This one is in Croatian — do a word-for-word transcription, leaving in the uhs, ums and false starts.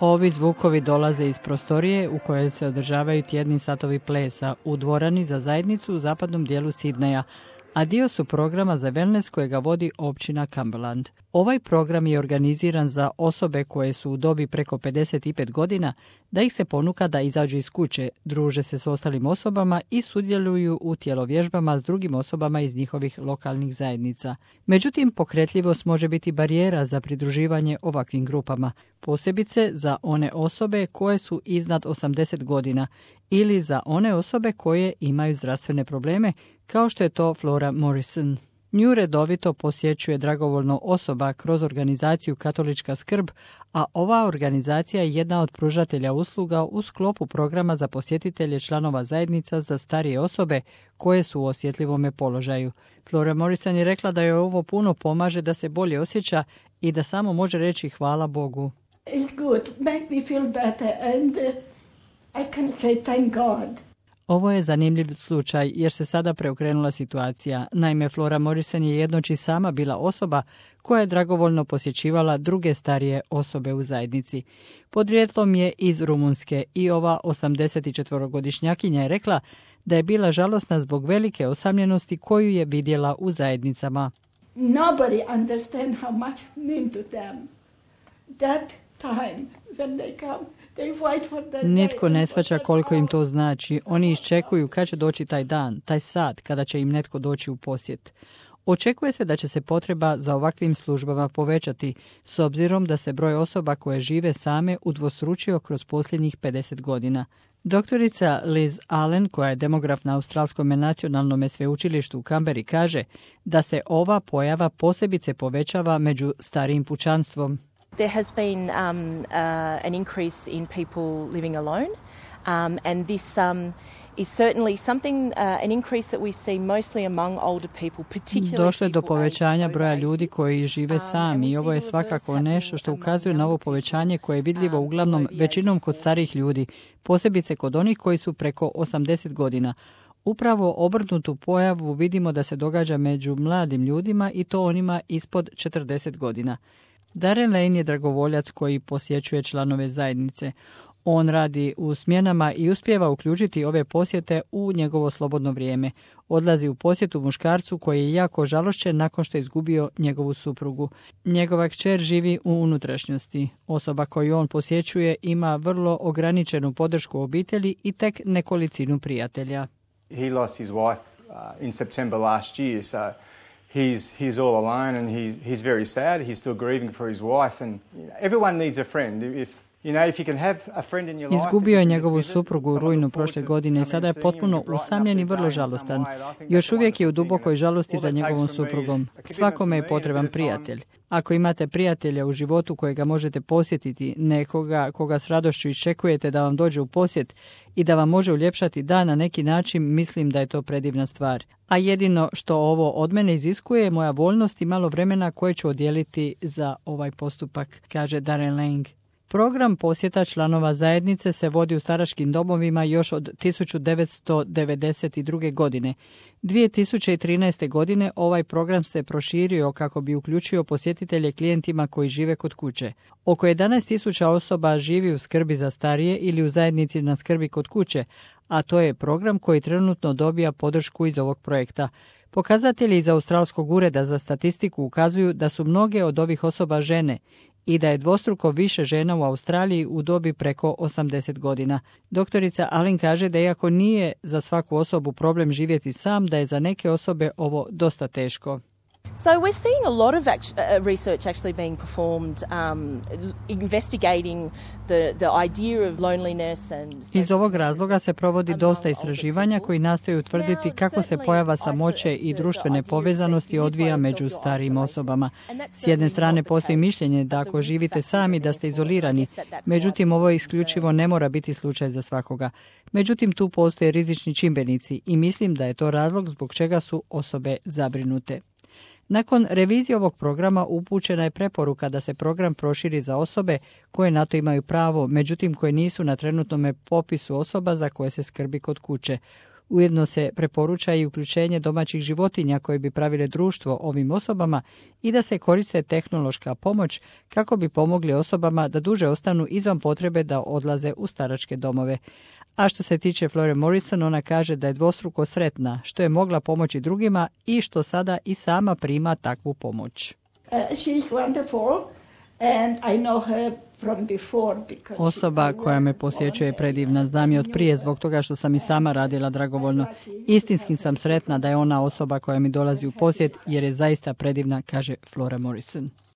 Ovi zvukovi dolaze iz prostorije u kojoj se održavaju tjedni satovi plesa u dvorani za zajednicu u zapadnom dijelu Sidneja, a dio su programa za wellness kojega vodi općina Cumberland. Ovaj program je organiziran za osobe koje su u dobi preko pedeset pet godina, da ih se ponuka da izađu iz kuće, druže se s ostalim osobama i sudjeluju u tjelovježbama s drugim osobama iz njihovih lokalnih zajednica. Međutim, pokretljivost može biti barijera za pridruživanje ovakvim grupama, posebice za one osobe koje su iznad osamdeset godina ili za one osobe koje imaju zdravstvene probleme, kao što je to Flora Morrison. Nju redovito posjećuje dragovoljno osoba kroz organizaciju Katolička skrb, a ova organizacija je jedna od pružatelja usluga u sklopu programa za posjetitelje članova zajednica za starije osobe koje su u osjetljivome položaju. Flora Morrison je rekla da joj ovo puno pomaže da se bolje osjeća i da samo može reći hvala Bogu. It's good, make me feel better and uh, I can say thank God. Ovo je zanimljiv slučaj jer se sada preokrenula situacija. Naime, Flora Morrison je jednoć i sama bila osoba koja je dragovoljno posjećivala druge starije osobe u zajednici. Podrijetlom je iz Rumunjske i ova osamdesetčetvorogodišnjakinja je rekla da je bila žalosna zbog velike osamljenosti koju je vidjela u zajednicama. Nobody understand how much mean to them. That time when they come. Nitko ne shvaća koliko im to znači. Oni iščekuju kad će doći taj dan, taj sat, kada će im netko doći u posjet. Očekuje se da će se potreba za ovakvim službama povećati, s obzirom da se broj osoba koje žive same udvostručio kroz posljednjih pedeset godina. Doktorica Liz Allen, koja je demograf na Australskom nacionalnom sveučilištu u Canberri, kaže da se ova pojava posebice povećava među starijim pučanstvom. There has been um, uh, an increase in people living alone, um, and this um, is certainly something, uh, an increase that we see mostly among older people, particularly Došlo je do povećanja broja ljudi koji žive sami i ovo je svakako nešto što ukazuje na ovo povećanje koje je vidljivo uglavnom većinom kod starijih ljudi, posebice kod onih koji su preko osamdeset godina. Upravo obrnutu pojavu vidimo da se događa među mladim ljudima i to onima ispod četrdeset godina. Darren Lane je dragovoljac koji posjećuje članove zajednice. On radi u smjenama i uspijeva uključiti ove posjete u njegovo slobodno vrijeme. Odlazi u posjetu muškarcu koji je jako žalošćen nakon što je izgubio njegovu suprugu. Njegova kćer živi u unutrašnjosti. Osoba koju on posjećuje ima vrlo ograničenu podršku obitelji i tek nekolicinu prijatelja. He lost his wife uh, in September last year, so He's, he's all alone and he's, he's very sad. He's still grieving for his wife and you know, everyone needs a friend. If, you know, if you can have a friend in your life. Izgubio je njegovu suprugu u rujnu prošle godine i sada je potpuno usamljen i vrlo žalostan. Još uvijek je u dubokoj žalosti za njegovom suprugom. Svakome je potreban prijatelj. Ako imate prijatelja u životu kojega možete posjetiti, nekoga koga s radošću iščekujete da vam dođe u posjet i da vam može uljepšati dan na neki način, mislim da je to predivna stvar. A jedino što ovo od mene iziskuje je moja voljnost i malo vremena koje ću odijeliti za ovaj postupak, kaže Darren Lang. Program posjeta članova zajednice se vodi u staračkim domovima još od tisuću devetsto devedeset druge. godine. dvije tisuće trinaeste. godine ovaj program se proširio kako bi uključio posjetitelje klijentima koji žive kod kuće. Oko jedanaest tisuća osoba živi u skrbi za starije ili u zajednici na skrbi kod kuće, a to je program koji trenutno dobija podršku iz ovog projekta. Pokazatelji iz Australskog ureda za statistiku ukazuju da su mnoge od ovih osoba žene i da je dvostruko više žena u Australiji u dobi preko osamdeset godina. Doktorica Allen kaže da iako nije za svaku osobu problem živjeti sam, da je za neke osobe ovo dosta teško. So we're seeing a lot of act- uh, research actually being performed, um, investigating the, the idea of loneliness and... Iz ovog razloga se provodi dosta istraživanja koji nastoje utvrditi kako se pojava samoće i društvene povezanosti odvija među starijim osobama. S jedne strane postoji mišljenje da ako živite sami da ste izolirani, međutim ovo isključivo ne mora biti slučaj za svakoga. Međutim tu postoje rizični čimbenici i mislim da je to razlog zbog čega su osobe zabrinute. Nakon revizije ovog programa upućena je preporuka da se program proširi za osobe koje na to imaju pravo, međutim koje nisu na trenutnom popisu osoba za koje se skrbi kod kuće. Ujedno se preporuča i uključenje domaćih životinja koje bi pravile društvo ovim osobama i da se koriste tehnološka pomoć kako bi pomogli osobama da duže ostanu izvan potrebe da odlaze u staračke domove. A što se tiče Flore Morrison, ona kaže da je dvostruko sretna što je mogla pomoći drugima i što sada i sama prima takvu pomoć. Uh, she's wonderful and I know her from before because Osoba koja me posjećuje je predivna, znam je od prije zbog toga što sam i sama radila dragovoljno. Istinski sam sretna da je ona osoba koja mi dolazi u posjet jer je zaista predivna, kaže Flora Morrison.